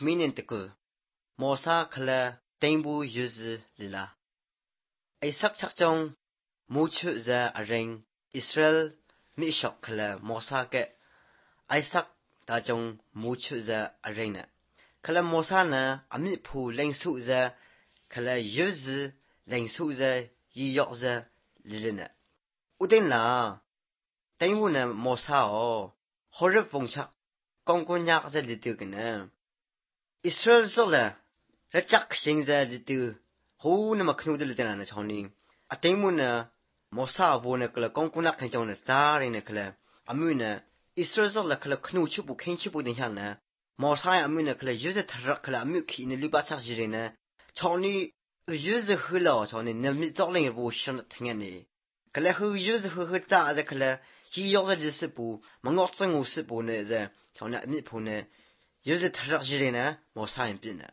meaning the Mosa kala tembu use lila. A sakchakjong muchu za areng Israel mi shok kala Mosa ke Isaac da jong muchu za arena. Kala Mosa na ami pu lengsu za kala use lengsu za yi yok za lilina. Uden la tembu na Mosa o horif vongchak kongkonyak za litigana. Israel zola rachak shing za litu ho na maknude litana na chawning. Atemu na Mosa vo na kala kongkonak kanchong na tsari na kala amu na Israel zola kala knu chupu kenchipu din hyang na Mosa ya amu na kala yuze tarak kala amu ki na lubachak jire na chawni yuze hula chawni na mi zogling vo shan tingani. Kala hu yuze hu za kala hi yok za jisipu mangok zang u sipu na za chawna amu pu na yuze tarak jire na Mosa yan bin na.